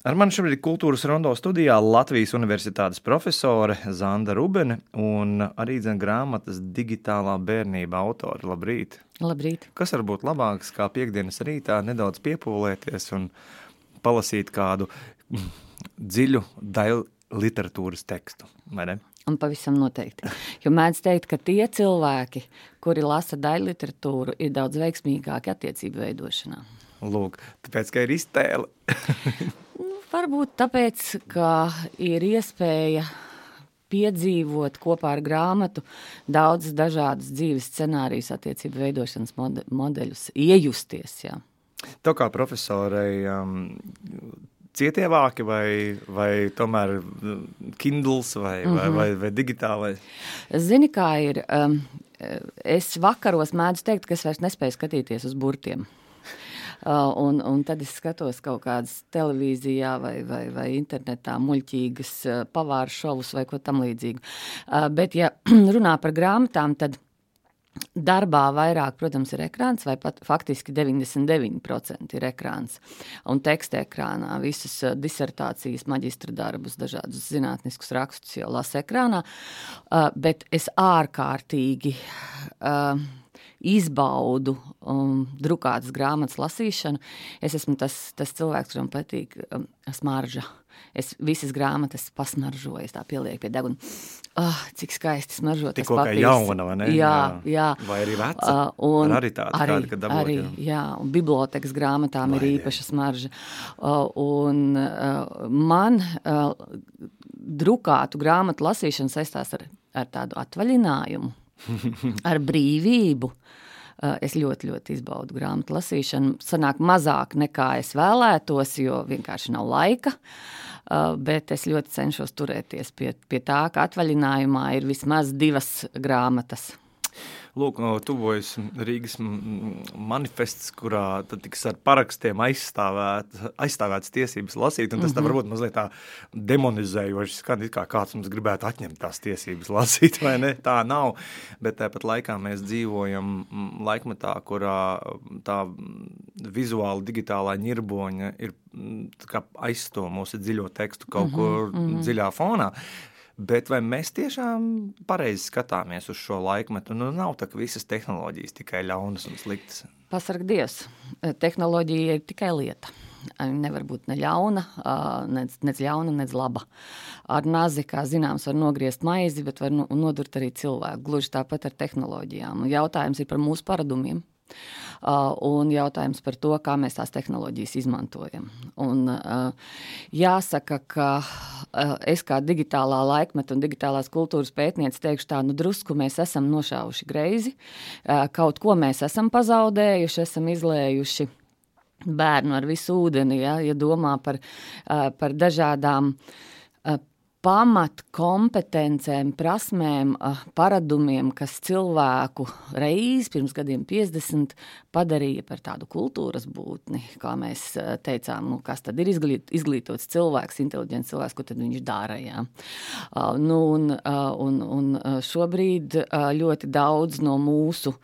Ar mani šobrīd Kultūras rondo studijā Latvijas Universitātes profesore Zanda Rubene un arī grāmatas Digitālā bērnība autori. Labrīt! Labrīt! Kas var būt labāks kā piektdienas rītā nedaudz piepūlēties un palasīt kādu dziļu daļu literatūras tekstu, vai ne? Un pavisam noteikti. Jo mēdz teikt, ka tie cilvēki, kuri lasa daļu literatūru, ir daudz veiksmīgāki attiecību veidošanā. Lūk, tāpēc, ka ir iztēle. Varbūt tāpēc, ka ir iespēja piedzīvot kopā ar grāmatu daudzas dažādas dzīves scenārijas attiecību veidošanas modeļus, iejusties, jā. Tev kā profesorei cietie vāki vai tomēr Kindles vai digitālais? Zini, kā ir, es vakaros mēdzu teikt, ka es vairs nespēju skatīties uz burtiem. Un tad es skatos kaut kādas televīzijā vai internetā muļķīgas pavāru šovus vai ko tam līdzīgu. Bet, ja runā par grāmatām, tad darbā vairāk, protams, ir ekrāns, vai pat faktiski 99% ir ekrāns. Un teksta ekrānā visas disertācijas, maģistra darbus, dažādus zinātniskus rakstus jau lasa ekrānā. Bet es ārkārtīgi izbaudu drukātas grāmatas lasīšanu. Es esmu tas cilvēks, kuram patīk smarža. Es visas grāmatas pasmaržoju, es tā pielieku pie deguna. Cik skaisti smaržo tas papīrs. Tikko kā jauna, vai ne? Jā. Vai arī veca? Arī tāda, kāda, kad dabūt. Arī, jā. Un bibliotekas grāmatām ir īpaša smarža. Man drukātu grāmatu lasīšana saistās ar tādu atvaļinājumu. Ar brīvību. Es ļoti, ļoti izbaudu grāmatu lasīšanu. Sanāk mazāk nekā es vēlētos, jo vienkārši nav laika, bet es ļoti cenšos turēties pie tā, ka atvaļinājumā ir vismaz 2 grāmatas. Lūk, tuvojas Rīgas manifests, kurā tad tiks ar parakstiem aizstāvētas tiesības lasīt, un tas tā varbūt mazliet tā demonizējoši skan, it kā kāds mums gribētu atņemt tās tiesības lasīt, vai ne? Tā nav, bet tāpat laikā mēs dzīvojam laikmetā, kurā tā vizuāli digitālā ņirboņa ir kā aizsto mūsu dziļo tekstu kaut kur dziļā fonā. Bet vai mēs tiešām pareizi skatāmies uz šo laikmetu? Nu, nav tā, ka visas tehnoloģijas tikai ļaunas un sliktas. Pasarg Dievs, tehnoloģija ir tikai lieta. Nevar būt ne ļauna, nec ļauna, nec laba. Ar nazi, kā zināms, var nogriezt maizi, bet var nodurt arī cilvēku. Gluži tāpat ar tehnoloģijām. Jautājums ir par mūsu paradumiem. Un jautājums par to, kā mēs tās tehnoloģijas izmantojam. Un jāsaka, ka es kā digitālā laikmeta un digitālās kultūras pētniece teikšu tā, drusku mēs esam nošāvuši greizi, kaut ko mēs esam pazaudējuši, esam izlējuši bērnu ar visu ūdeni, ja domā par dažādām pamat kompetencēm, prasmēm, paradumiem, kas cilvēku reiz pirms gadiem 50 padarīja par tādu kultūras būtni, kā mēs teicām, kas tad ir izglītots cilvēks, inteliģents cilvēks, ko tad viņš dara, jā. Un šobrīd ļoti daudz no mūsu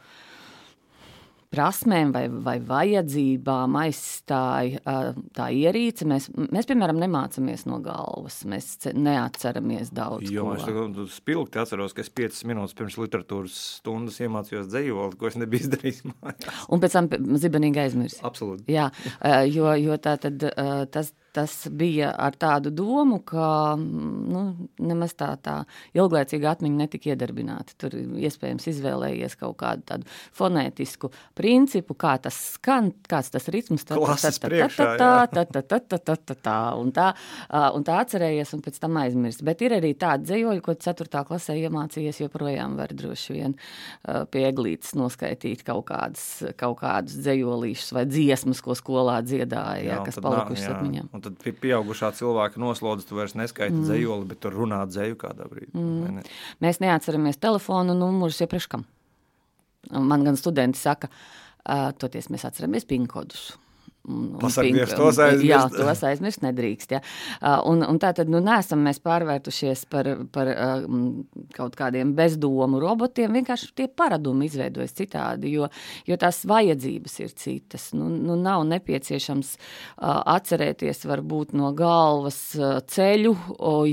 prasmēm vai vajadzībām aizstāja tā ierīce. Mēs, piemēram, nemācamies no galvas. Mēs neatceramies daudz ko. Es spilgti atceros, ka es 5 minūtes pirms literatūras stundas iemācījos dzejoli, ko es nebiju izdarījis mājās. Un pēc tam zibenīgi aizmirsi. Absolūti. Jā, jo tā tad tas bija ar tādu domu, ka nemaz tā ilglaicīga atmiņa netika iedarbināta. Tur iespējams izvēlējies kaut kādu tādu fonētisku principu, kā tas skan, kāds tas ritms. Klases priekšā, un tā atcerējies un pēc tam aizmirst. Bet ir arī tādi dzejoļi, ko 4. klasē iemācījies, joprojām var droši vien pie eglītes noskaitīt kaut kādus dzejolīšus vai dziesmas, ko skolā dziedāja, kas palikušas atmiņām. Un tad pieaugušā cilvēka noslodzi, tu vairs neskaiti dzejoli, bet tu runā dzeju kādā brīdī. Mēs neatceramies telefonu numurus iepriekš kam. Man gan studenti saka, toties mēs atceramies pinkodus. Pasargnieks tos aizmirst. Jā, tos aizmirst nedrīkst. Ja. Un tātad, neesam mēs pārvērtušies par kaut kādiem bezdomu robotiem, vienkārši tie paradumi izveidojas citādi, jo tās vajadzības ir citas. Nav nepieciešams atcerēties varbūt no galvas ceļu,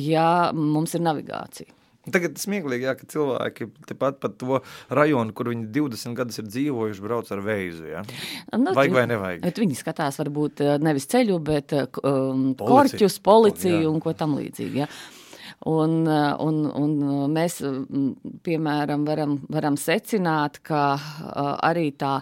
ja mums ir navigācija. Tagad smieklīgi, ka cilvēki tepat pat to rajonu, kur viņi 20 gadus ir dzīvojuši, brauc ar veizu, ja? Vajag vai nevajag? Bet viņi skatās varbūt nevis ceļu, bet korķus, policiju un ko tam līdzīgi, ja? Un mēs, piemēram, varam secināt, ka arī tā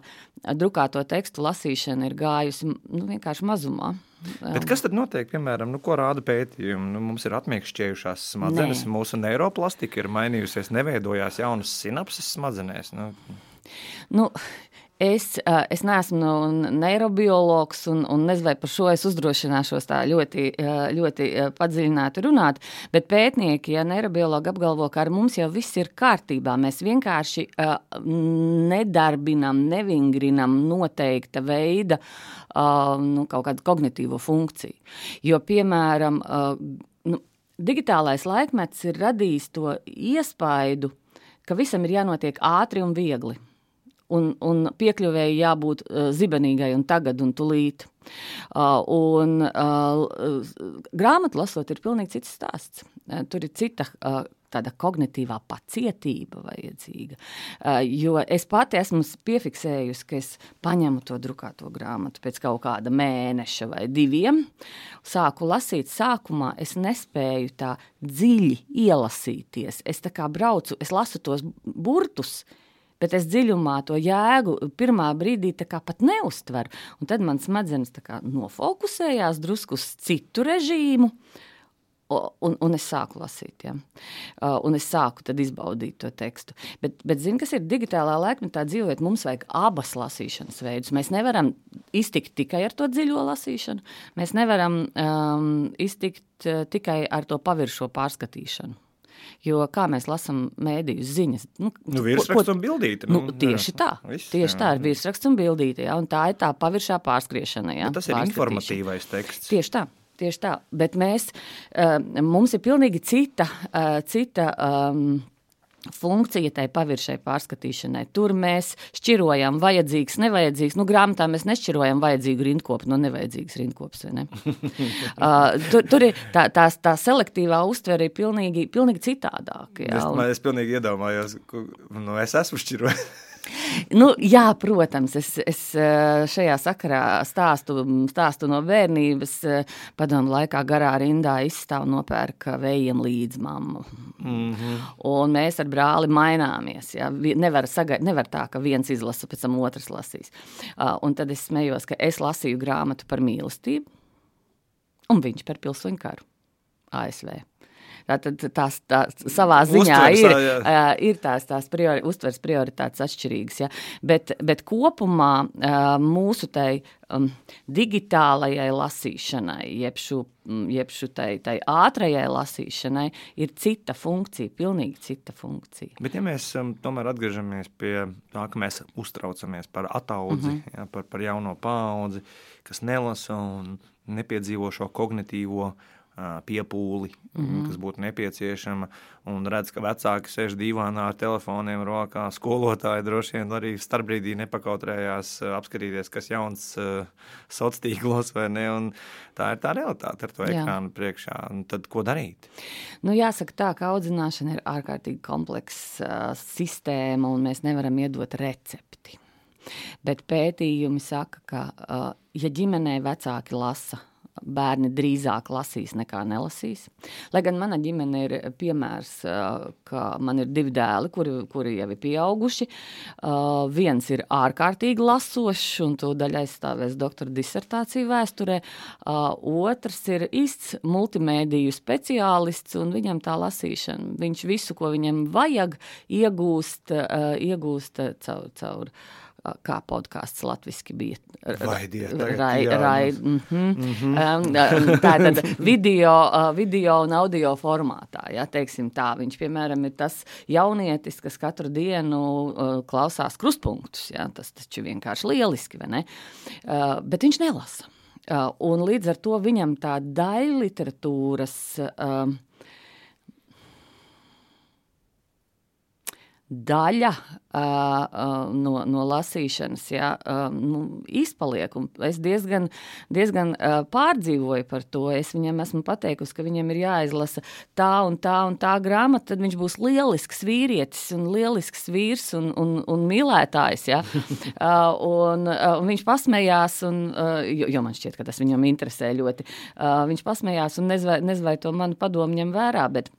drukāto tekstu lasīšana ir gājusi vienkārši mazumā. Bet kas tad notiek, piemēram, ko rāda pētījumi? Mums ir atmiekšķējušās smadzenes, mūsu neiroplastika ir mainījusies, neveidojās jaunas sinapses smadzenēs. Es neesmu neirobiologs un nezinu, vai par šo es uzdrošināšos tā ļoti padziļināti runāt, bet pētnieki, neirobiologi apgalvo, ka ar mums jau viss ir kārtībā. Mēs vienkārši nedarbinam, nevingrinam noteikta veida kaut kādu kognitīvo funkciju. Jo, piemēram, digitālais laikmets ir radījis to iespaidu, ka visam ir jānotiek ātri un viegli. Un piekļuvēji jābūt zibenīgai un tagad un tulīt. Grāmatu lasot ir pilnīgi cits stāsts. Tur ir cita tāda kognitīvā pacietība vajadzīga. Jo es pati esmu piefiksējusi, ka es paņemu to drukāto grāmatu pēc kaut kāda mēneša vai 2. Sāku lasīt sākumā, es nespēju tā dziļi ielasīties. Es tā kā braucu, es lasu tos burtus, bet es dziļumā to jēgu pirmā brīdī tā kā pat neuztveru. Un tad man smadzenes tā kā nofokusējās drusku uz citu režīmu, un es sāku lasīt, ja. Un es sāku tad izbaudīt to tekstu. Bet zini, kas ir digitālā laikmetā dzīvojot, mums vajag abas lasīšanas veidus. Mēs nevaram iztikt tikai ar to dziļo lasīšanu, mēs nevaram iztikt tikai ar to paviršo pārskatīšanu. Jo kā mēs lasām mēdījus ziņas? Virsraksts un bildīte. Tieši tā. Tieši tā ir virsraksts un bildīte, ja, un tā ir tā paviršā pārskriešana. Ja, tas ir informatīvais teksts. Tieši tā. Bet mums ir pilnīgi cita funkcija tai paviršai pārskatīšanai. Tur mēs šķirojam vajadzīgs, nevajadzīgs. Grāmatā mēs nešķirojam vajadzīgu rindkopu no nevajadzīgas rindkopas, vai ne? Tur ir tā selektīvā uztvere ir pilnīgi citādāk. Jā. Es pilnīgi iedomājos, es esmu šķirojis. Jā, protams, es šajā sakarā stāstu no bērnības, padomu laikā garā rindā izstāv nopērka vējiem līdz mammu. Un mēs ar brāli maināmies. Ja? Nevar tā, ka viens izlasa, pēc tam otrs lasīs. Un tad es smējos, ka es lasīju grāmatu par mīlestību, un viņš par pilsoņu karu ASV. Tātad tās savā ziņā ir tās uztveres prioritātes atšķirīgas. Ja? Bet kopumā mūsu tai digitālajai lasīšanai, jeb tai ātrajai lasīšanai ir cita funkcija, pilnīgi cita funkcija. Bet ja mēs tomēr atgriežamies pie tā, ka mēs uztraucamies par ataudzi, ja, par jauno paudzi, kas nelasa un nepiedzīvo šo kognitīvo piepūli, kas būtu nepieciešama, un redz, ka vecāki sēž dīvānā ar telefoniem rokā, skolotāji droši vien arī starpbrīdī nepakautrējās apskatīties, kas jauns sociālos vai ne, un tā ir tā realitāte ar to ekrānu priekšā, un tad ko darīt? Jāsaka tā, ka audzināšana ir ārkārtīgi kompleksa sistēma, un mēs nevaram iedot recepti. Bet pētījumi saka, ka ja ģimenē vecāki lasa, bērni drīzāk lasīs nekā nelasīs. Lai gan mana ģimene ir piemērs, ka man ir 2 dēli, kuri jau ir pieauguši. Viens ir ārkārtīgi lasošs, un to daļai aizstāvēs doktora disertāciju vēsturē. Otrs ir īsts multimēdiju speciālists, un viņam tā lasīšana. Viņš visu, ko viņam vajag, iegūst caur kā podkāsts latviski bija. Tātad video un audio formātā, ja, teiksim tā. Viņš, piemēram, ir tas jaunietis, kas katru dienu klausās krustpunktus, ja, tas taču vienkārši lieliski, vai ne? Bet viņš nelasa. Un līdz ar to viņam tā daļliteratūras daļa no lasīšanas izpaliek. Un es diezgan pārdzīvoju par to. Es viņam esmu pateikusi, ka viņam ir jāizlasa tā un tā grāmata, tad viņš būs lielisks vīrietis un lielisks vīrs un mīlētājs. Ja? Un viņš pasmējās, jo man šķiet, ka tas viņam interesē ļoti. Viņš pasmējās un nezinu, vai to manu padomu ņem vērā, bet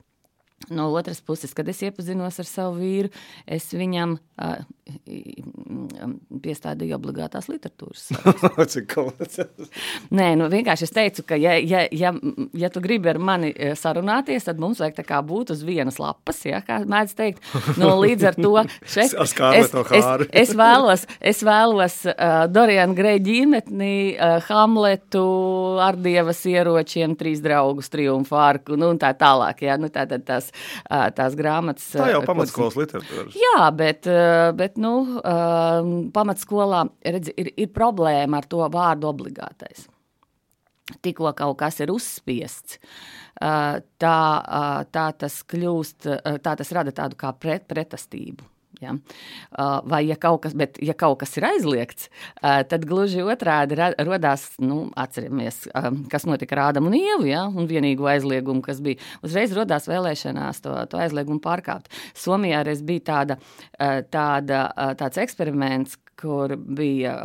no otras puses, kad es iepazinos ar savu vīru, es viņam piestādīju obligātās literatūras. Nē, vienkārši es teicu, ka ja tu gribi ar mani sarunāties, tad mums vajag tā kā būt uz vienas lapas, ja, kā mēdz teikt. Līdz ar to es vēlos Doriana Greja ģimetni, Hamletu, Ardievas ieročiem, 3 draugus, Triumfu arku, un tā tālāk, ja, tātad tās grāmatas. Tā jau pamatskolas literatūras. Jā, bet pamatskolā ir problēma ar to vārdu obligātais. Tikko kaut kas ir uzspiests, tā tas kļūst, tā tas rada tādu kā pretestību. Ja? Vai ja kaut kas ir aizliegts, tad gluži otrādi rodās, atceramies, kas notika ar Ādamu un Ievu, ja? Un vienīgo aizliegumu, kas bija. Uzreiz rodās vēlēšanās to aizliegumu pārkāpt. Somijā reiz bija tāds eksperiments, kur bija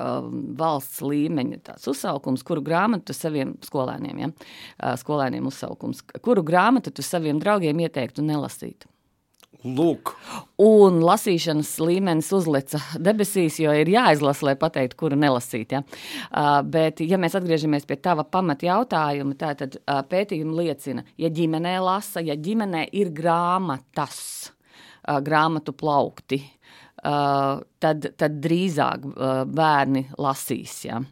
valsts līmeņa tāds uzsaukums, kuru grāmatu saviem skolēniem, ja? Skolēniem uzsaukums, kuru grāmatu tu saviem draugiem ieteiktu nelasīt. Lūk. Un lasīšanas līmenis uzleca debesīs, jo ir jāizlasa, lai pateiktu, kuru nelasīt. Ja? Bet, ja mēs atgriežamies pie tava pamata jautājuma, tad pētījumi liecina, ja ģimenē lasa, ja ģimenē ir grāmatas, grāmatu plaukti, tad drīzāk bērni lasīs. Ja?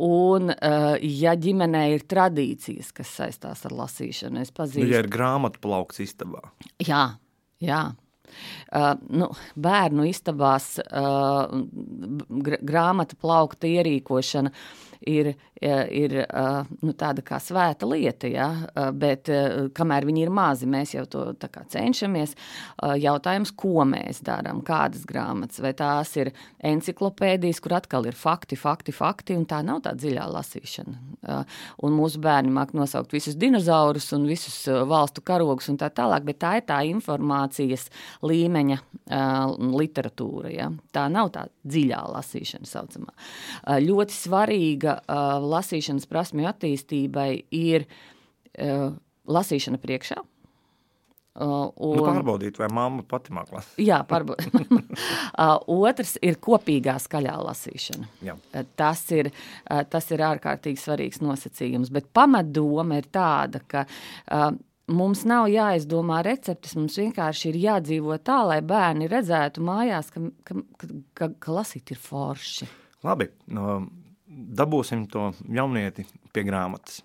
Un, ja ģimenē ir tradīcijas, kas saistās ar lasīšanu, es pazīstu. Ja ir grāmatu plaukts istabā. Jā. Bērnu istabās grāmata plaukta ierīkošana ir tāda kā svēta lieta, ja? Bet kamēr viņi ir mazi, mēs jau to tā kā cenšamies. Jautājums, ko mēs darām, kādas grāmatas, vai tās ir enciklopēdijas, kur atkal ir fakti, un tā nav tā dziļā lasīšana. Un mūsu bērni māk nosaukt visus dinozaurus un visus valstu karogus un tā tālāk, bet tā ir tā informācijas līmeņa literatūra. Ja? Tā nav tā dziļā lasīšana saucamā. Ļoti svarīga lasīšanas prasmju attīstībai ir lasīšana priekšā. Pārbaudīt, vai mamma pati māk lasīt. Jā, pārbaudīt. Otrs ir kopīgā skaļā lasīšana. Jā. Tas ir ārkārtīgi svarīgs nosacījums, bet pamatdoma ir tāda, ka mums nav jāizdomā receptes, mums vienkārši ir jādzīvo tā, lai bērni redzētu mājās, ka lasīt ir forši. Labi, dabūsim to jaunieti pie grāmatas.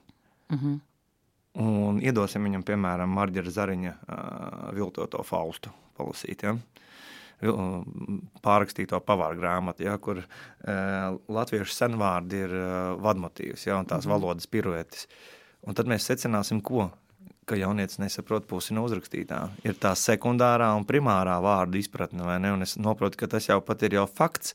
Un iedosim viņam, piemēram, Marģera Zariņa viltoto Faustu palasīt, ja? Pārrakstīto pavāru grāmatu, ja? Kur latviešu senvārdi ir vadmotīvs, ja? Un tās valodas piruetis. Un tad mēs secināsim, ka jaunietis nesaprot pusi no uzrakstītā. Ir tā sekundārā un primārā vārdu izpratne, vai ne? Un es noprotu, ka tas jau pat ir fakts,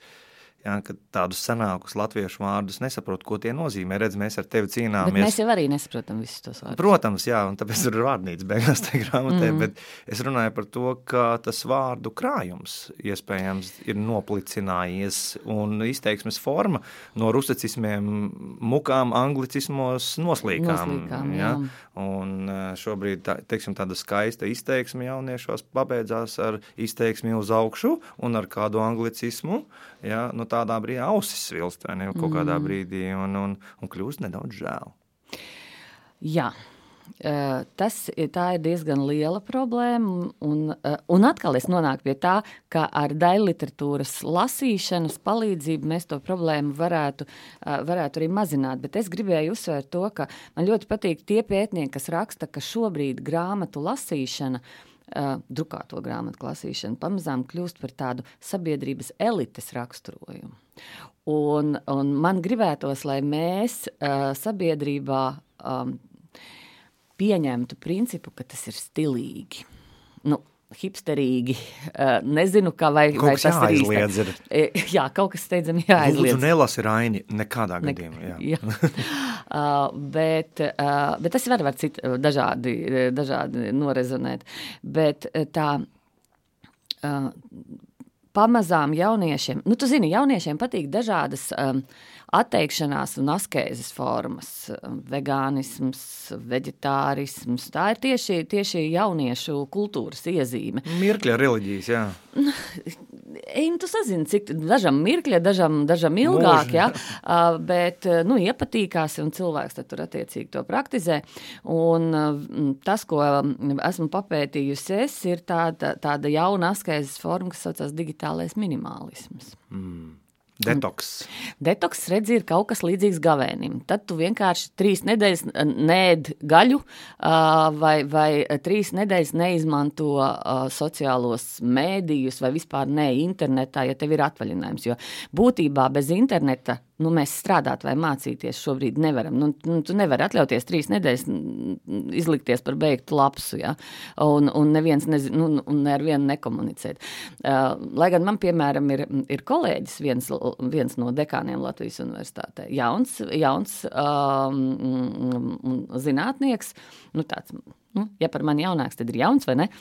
ja, ka tādus senākus latviešu vārdus nesaprot, ko tie nozīmē. Redz, mēs ar tevi cīnāmies. Bet mēs jau arī nesaprotam visus tos vārdus. Protams, jā, un tāpēc ir vārdnīca beigās tajā grāmatē, bet es runāju par to, ka tas vārdu krājums iespējams ir noplicinājies un izteiksmes forma no rusicismiem, mukām, anglicismos noslīkām. Ja? Un šobrīd, teiksim, tāda skaista izteiksme jauniešos pabeidzās ar izteiksmi uz augšu un ar kādu anglicismu, ja? Nu, tādā brīdī ausis svilst, vai ne, kaut kādā brīdī, un kļūst nedaudz žēl. Jā, Tā ir diezgan liela problēma, un atkal es nonāku pie tā, ka ar daļliteratūras lasīšanas palīdzību mēs to problēmu varētu arī mazināt, bet es gribēju uzsvērt to, ka man ļoti patīk tie pētnieki, kas raksta, ka šobrīd grāmatu lasīšana, drukāto grāmatu lasīšana pamazām kļūst par tādu sabiedrības elites raksturojumu. Un man gribētos, lai mēs sabiedrībā pieņemtu principu, ka tas ir stilīgi, hipsterīgi, nezinu, vai tas ir jāaizliedz īsti. Jā, kaut kas steidzami jāaizliedz. Lūdzu, nelasi Raini nekādā gadījumā. Jā. Bet tas var dažādi norezonēt. Bet tā pamazām jauniešiem, tu zini, jauniešiem patīk dažādas atteikšanās un askēzes formas, vegānisms, veģetārisms, tā ir tieši jauniešu kultūras iezīme. Mirkļa reliģijas, jā. Tu sazini, cik dažam mirkļa, dažam ilgāk, jā, bet, iepatīkās un cilvēks tad tur attiecīgi to praktizē. Un tas, ko esmu papētījusi ir tāda jauna askēzes forma, kas saucās digitālais minimālisms. Detoks, redzi, ir kaut kas līdzīgs gavēnim. Tad tu vienkārši 3 nedēļas neēd gaļu vai 3 nedēļas neizmanto sociālos mēdījus vai vispār ne internetā, ja tev ir atvaļinājums. Jo būtībā bez interneta mēs strādāt vai mācīties šobrīd nevaram. Tu nevari atļauties 3 nedēļas izlikties par beigtu lapsu, ja? Un neviens un ar vienu nekomunicēt. Lai gan man, piemēram, ir kolēģis, viens no dekāniem Latvijas universitātē, jauns zinātnieks, tāds, ja par mani jaunāks, tad ir jauns vai ne,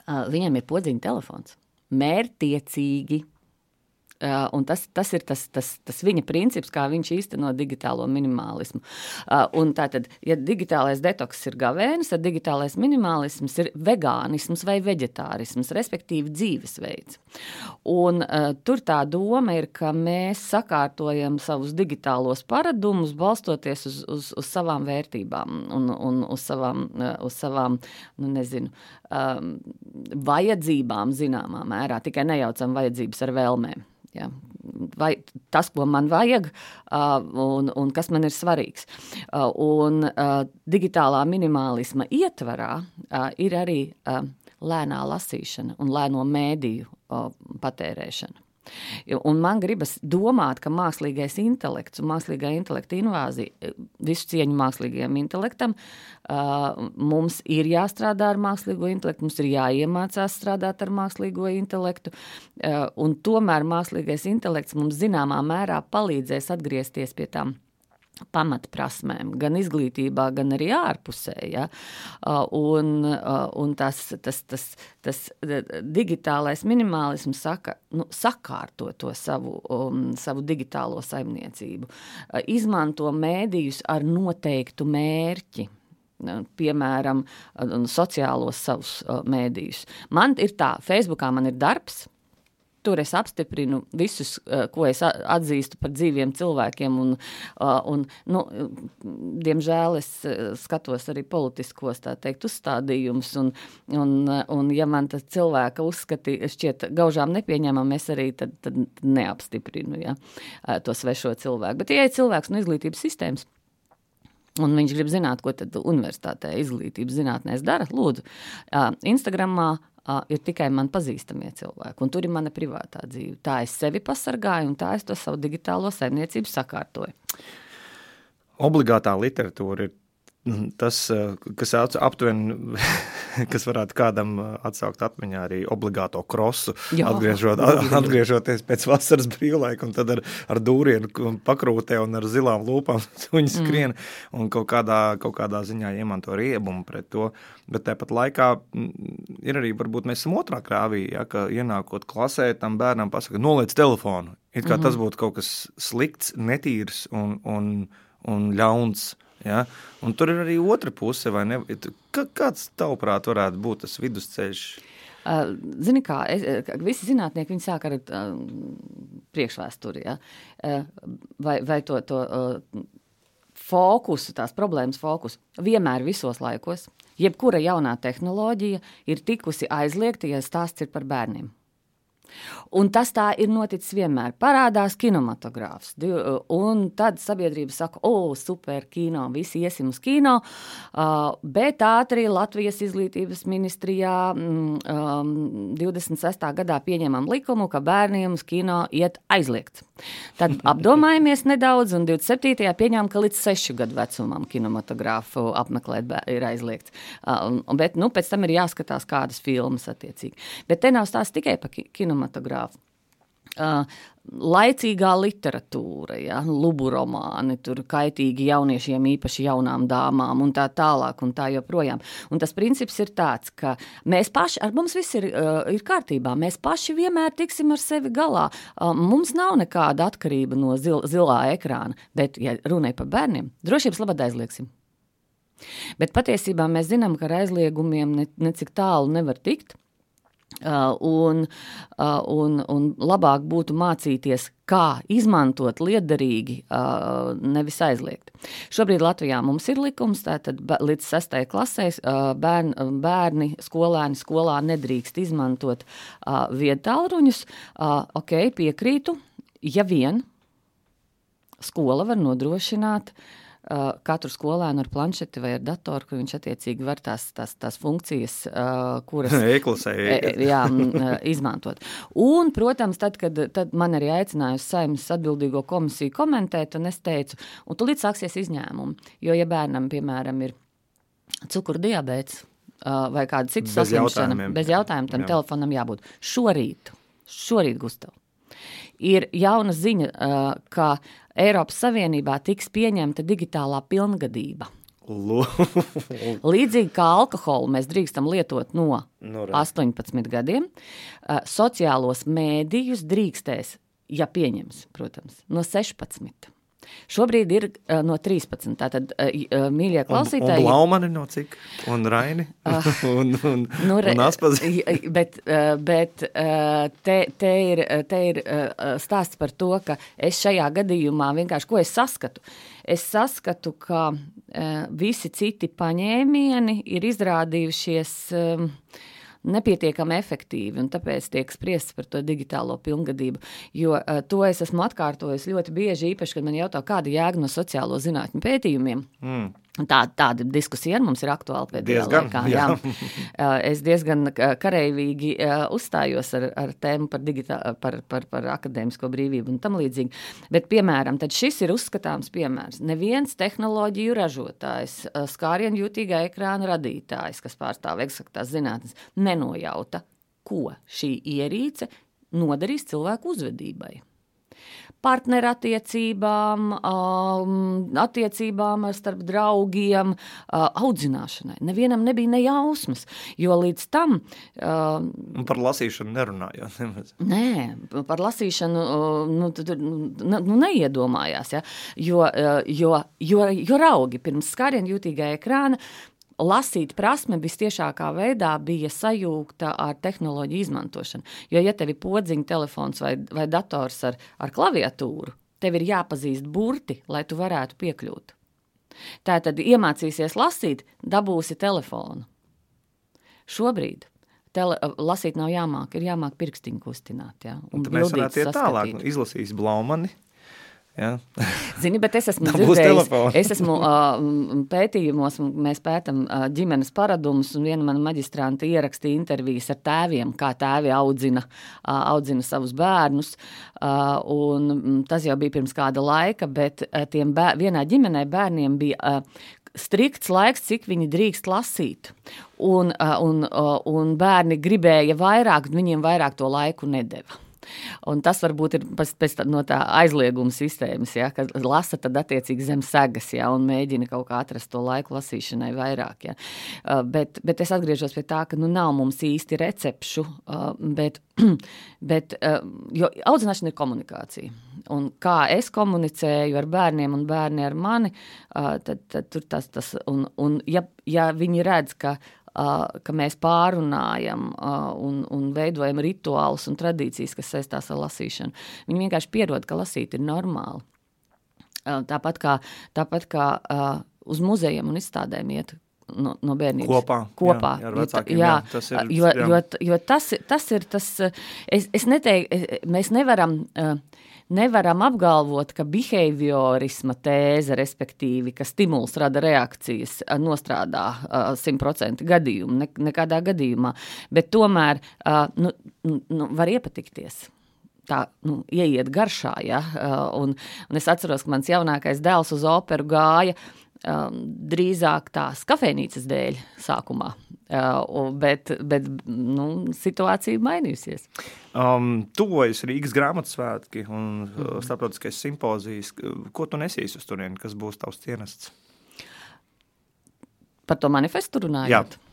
viņam ir podziņa telefons. Mērtiecīgi. Un tas ir tas viņa princips, kā viņš īsteno digitālo minimālismu. Un tātad, ja digitālais detoks ir gavēnis, tad digitālais minimālisms ir vegānisms vai veģetārisms, respektīvi dzīvesveids. Un tur tā doma ir, ka mēs sakārtojam savus digitālos paradumus, balstoties uz savām vērtībām un uz savām vajadzībām zināmā mērā, tikai nejaucam vajadzības ar vēlmēm. Ja. Vai tas, ko man vajag un kas man ir svarīgs. Un digitālā minimālisma ietvarā ir arī lēnā lasīšana un lēno mēdīju patērēšana. Un man gribas domāt, ka mākslīgais intelekts un mākslīgā intelekta invāzija, visu cieņu mākslīgajam intelektam, mums ir jāstrādā ar mākslīgo intelektu, mums ir jāiemācās strādāt ar mākslīgo intelektu, un tomēr mākslīgais intelekts mums zināmā mērā palīdzēs atgriezties pie tām pamatprasmēm, gan izglītībā, gan arī ārpusē. Ja? Un tas digitālais minimālisms saka, sakārto to savu digitālo saimniecību. Izmanto mēdījus ar noteiktu mērķi. Piemēram, sociālos savus mēdījus. Man ir tā, Facebookā man ir darbs, tur es apstiprinu visus, ko es atzīstu par dzīviem cilvēkiem, un diemžēl es skatos arī politiskos, tā teikt, uzstādījumus, un ja man tas cilvēka uzskati šķiet gaužām nepieņemam, es arī tad neapstiprinu, ja, to svešo cilvēku. Bet ja ir cilvēks no izglītības sistēmas, un viņš grib zināt, ko tad universitātē izglītības zinātnēs dara, lūdzu, Instagramā ir tikai man pazīstamie cilvēki, un tur ir mana privātā dzīve. Tā es sevi pasargāju, un tā es to savu digitālo saimniecību sakārtoju. Obligātā literatūra ir tas, kas aptuveni, kas varētu kādam atsaukt atmiņā arī obligāto krosu, atgriežoties pēc vasaras brīvlaika, un tad ar dūrienu pakrūtē un ar zilām lūpām suņi skrien, un kaut kādā ziņā iemanto riebumu pret to. Bet tāpat laikā ir arī, varbūt mēs esam otrā krāvī, ja, ka ienākot klasē, tam bērnam pasaka, noliec telefonu. It kā tas būtu kaut kas slikts, netīrs un ļauns. Ja? Un tur ir arī otra puse, vai ne? Kāds tavuprāt varētu būt tas vidusceļš? Zini kā, visi zinātnieki, viņi sāk ar fokusu, tās problēmas fokusu. Vienmēr visos laikos, jebkura jaunā tehnoloģija ir tikusi aizliegta, ja stāsts ir par bērniem. Un tas tā ir noticis vienmēr. Parādās kinematogrāfs. Un tad sabiedrība saka, super kino, visi iesim uz kino, bet ātri Latvijas izglītības ministrijā 26. gadā pieņemam likumu, ka bērniem uz kino iet aizliegts. Tad apdomājamies nedaudz un 27. pieņēmām, ka līdz 6 gadu vecumam kinematogrāfu apmeklēt ir aizliegts. Bet pēc tam ir jāskatās kādas filmas attiecīgi. Bet te nav stāsts tikai par kinematogrāfu. Laicīgā literatūra, lubu romāni, tur kaitīgi jauniešiem, īpaši jaunām dāmām un tā tālāk un tā joprojām. Un tas princips ir tāds, ka mēs paši, ar mums viss ir kārtībā, mēs paši vienmēr tiksim ar sevi galā. Mums nav nekāda atkarība no zilā ekrāna, bet, ja runāja par bērniem, drošības labad aizliegsim. Bet patiesībā mēs zinām, ka ar aizliegumiem necik tālu nevar tikt. Un labāk būtu mācīties, kā izmantot liederīgi, nevis aizliegt. Šobrīd Latvijā mums ir likums, tātad līdz 6. klasē bērni, skolēni skolā nedrīkst izmantot viedtālruņus. Piekrītu, ja vien skola var nodrošināt katru skolēnu ar planšeti vai ar datoru, kur viņš attiecīgi var tās funkcijas, kuras izmantot. Un, protams, tad man arī aicināja uz Saeimas atbildīgo komisiju komentēt, un es teicu, un tūlīt sāksies izņēmumi, jo, ja bērnam, piemēram, ir cukuru diabēts vai kāda cita saslimšana, bez jautājumiem tam telefonam jābūt. Šorīt, Gustav, ir jauna ziņa, ka Eiropas Savienībā tiks pieņemta digitālā pilngadība. Līdzīgi kā alkoholu mēs drīkstam lietot no 18 gadiem, sociālos mēdījus drīkstēs, ja pieņems, protams, no 16. Šobrīd ir no 13. Tātad, mīļie klausītāji... Un Blaumani no cik? Un Raini? un Aspazi? Bet te ir stāsts par to, ka es šajā gadījumā vienkārši, ko es saskatu? Es saskatu, ka visi citi paņēmieni ir izrādījušies... nepietiekami efektīvi, un tāpēc tiek spriests par to digitālo pilngadību, jo to es esmu atkārtojis ļoti bieži, īpaši, kad man jautā, kāda jēga no sociālo zinātņu pētījumiem. Tāda diskusija ar mums ir aktuāla pēdējā laikā. Jā. Es diezgan kareivīgi uzstājos ar tēmu par akadēmisko brīvību un tam līdzīgi. Bet, piemēram, tad šis ir uzskatāms piemērs. Neviens tehnoloģiju ražotājs, skārienjūtīgā ekrāna radītājs, kas pārstāv eksaktās zinātnes, nenojauta, ko šī ierīce nodarīs cilvēku uzvedībai. Partnerattiecībām, attiecībām starp draugiem, audzināšanai. Nevienam nebija nejausmas, jo līdz tam... Par lasīšanu nerunājot. Nē, par lasīšanu neiedomājās, ja? Jo raugi pirms skārienjūtīgā ekrāna lasīt prasme vistiešākā veidā bija sajūgta ar tehnoloģiju izmantošanu. Jo, ja tev ir podziņa telefons vai dators ar klaviatūru, tev ir jāpazīst burti, lai tu varētu piekļūt. Tātad iemācīsies lasīt, dabūsi telefonu. Šobrīd lasīt nav jāmāk, ir jāmāk pirkstiņu kustināt. Ja? Un mēs varētu iet tālāk, izlasīs Blaumani. Ja. Zini, bet es esmu dzirdējis, es esmu pētījumos, mēs pētam ģimenes paradumus, un viena mana maģistranta ierakstīja intervijas ar tēviem, kā tēvi audzina savus bērnus, un tas jau bija pirms kāda laika, bet vienā ģimenē bērniem bija strikts laiks, cik viņi drīkst lasīt, un bērni gribēja vairāk, viņiem vairāk to laiku nedeva. Un tas varbūt ir pēc no tā aizlieguma sistēmas, ja, kad lasa tad attiecīgi zem segas, ja, un mēģina kaut kā atrast to laiku lasīšanai vairāk. Ja. Bet es atgriežos pie tā, ka nav mums īsti recepšu, jo audzināšana ir komunikācija. Un kā es komunicēju ar bērniem un bērni ar mani, tad tur tas un ja viņi redz, ka mēs pārunājam un veidojam rituālus un tradīcijas, kas saistās ar lasīšanu. Viņi vienkārši pierod, ka lasīt ir normāli. Tāpat kā uz muzejiem un izstādēm iet no bērnības. Kopā. Jā, ar vecākiem. Jā, tas ir, jo tas ir tas, es neteiktu, mēs nevaram apgalvot, ka behaviorisma tēze, respektīvi, ka stimuls rada reakcijas, nostrādā 100% gadījumu, nekādā gadījumā, bet tomēr var iepatikties. Tā, ieiet garšā, ja, un es atceros, ka mans jaunākais dēls uz operu gāja drīzāk tās kafejnīcas dēļ sākumā, bet situācija mainījusies. Tuvojas Rīgas grāmatsvētki un starptautiskais simpozijas. Ko tu nesīs uz turieni, kas būs tavs cienests? Par to manifestu runājot? Jā.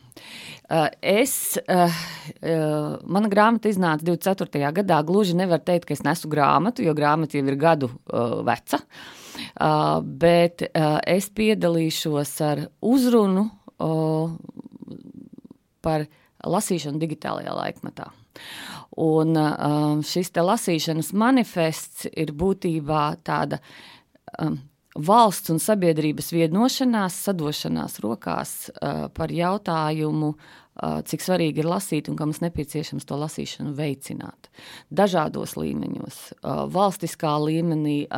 Mana grāmata iznāca 24. gadā, gluži nevar teikt, ka es nesu grāmatu, jo grāmata jau ir gadu veca, bet es piedalīšos ar uzrunu par lasīšanu digitālajā laikmetā. Un šis te lasīšanas manifests ir būtībā tāda valsts un sabiedrības vienošanās, sadošanās rokās par jautājumu, cik svarīgi ir lasīt un ka mums nepieciešams to lasīšanu veicināt. Dažādos līmeņos, valstiskā līmenī,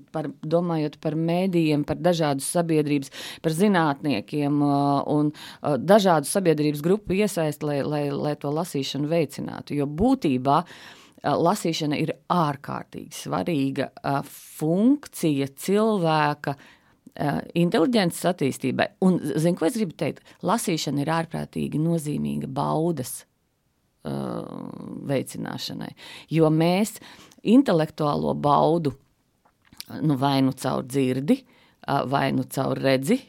domājot par mēdījiem, par dažādu sabiedrības, par zinātniekiem un dažādu sabiedrības grupu iesaist, lai to lasīšanu veicinātu. Jo būtībā lasīšana ir ārkārtīgi svarīga funkcija cilvēka inteliģences attīstībai. Un, ko es gribu teikt? Lasīšana ir ārprātīgi nozīmīga baudas veicināšanai, jo mēs intelektuālo baudu vai nu caur dzirdi, vai nu caur redzi,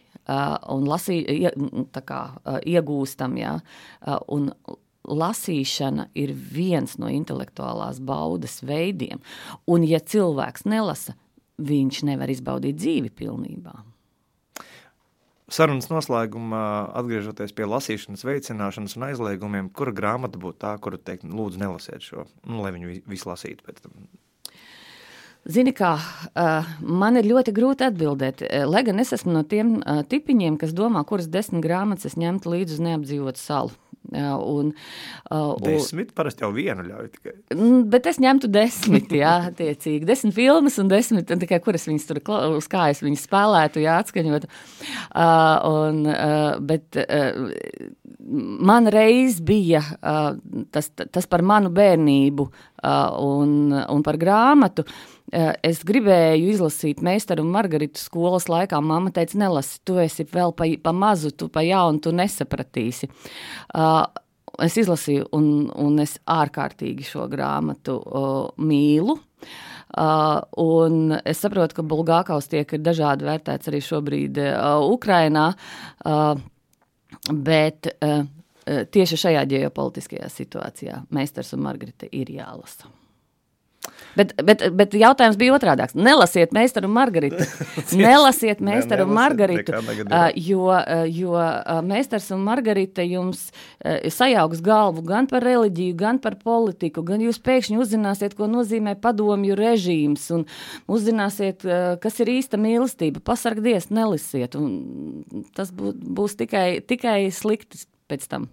un iegūstam, jā, un lasīšana ir viens no intelektuālās baudas veidiem, un ja cilvēks nelasa, viņš nevar izbaudīt dzīvi pilnībā. Sarunas noslēgumā, atgriežoties pie lasīšanas veicināšanas un aizliegumiem, kura grāmata būtu tā, kuru teikt, lūdzu nelasiet šo, lai viņu visu lasītu pēc tam? Zini kā, man ir ļoti grūti atbildēt, lai gan es esmu no tiem tipiņiem, kas domā, kuras 10 grāmatas es ņemtu līdzi uz neapdzīvotu salu. 10, parasti jau vienu ļauj tikai. Bet es ņemtu 10, jā, attiecīgi. 10 filmas un 10, tikai kuras viņas tur uz kājas viņas spēlētu, jā, atskaņot. Bet man reiz bija tas par manu bērnību un par grāmatu. Es gribēju izlasīt Meistaru un Margaritu skolas laikā. Mamma teica, nelasi, tu esi vēl pa mazu, tu pa jaunu, tu nesapratīsi. Es izlasīju un es ārkārtīgi šo grāmatu mīlu. Un es saprotu, ka Bulgākaus tiek ir dažādi vērtēts arī šobrīd Ukrainā, bet tieši šajā ģeopolitiskajā situācijā Meistars un Margarita ir jālasa. Bet jautājums bija otrādāks. Nelasiet Meistaru un Margaritu. Nelasiet Meistaru un Margaritu, jo Meistars un Margarita jums sajauks galvu gan par reliģiju, gan par politiku, gan jūs pēkšņi uzzināsiet, ko nozīmē padomju režīms, un uzzināsiet, kas ir īsta mīlestība. Pasargdies, nelasiet, un tas būs tikai slikti pēc tam.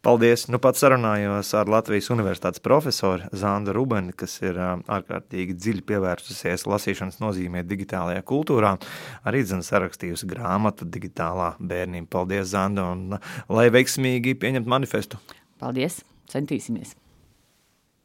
Paldies! Nu pat sarunājos ar Latvijas Universitātes profesoru Zandu Rubeni, kas ir ārkārtīgi dziļi pievērsusies lasīšanas nozīmē digitālajā kultūrā. Arī sarakstījusi grāmatu Digitālā bērnība. Paldies, Zanda, un lai veiksmīgi pieņemt manifestu. Paldies! Centīsimies!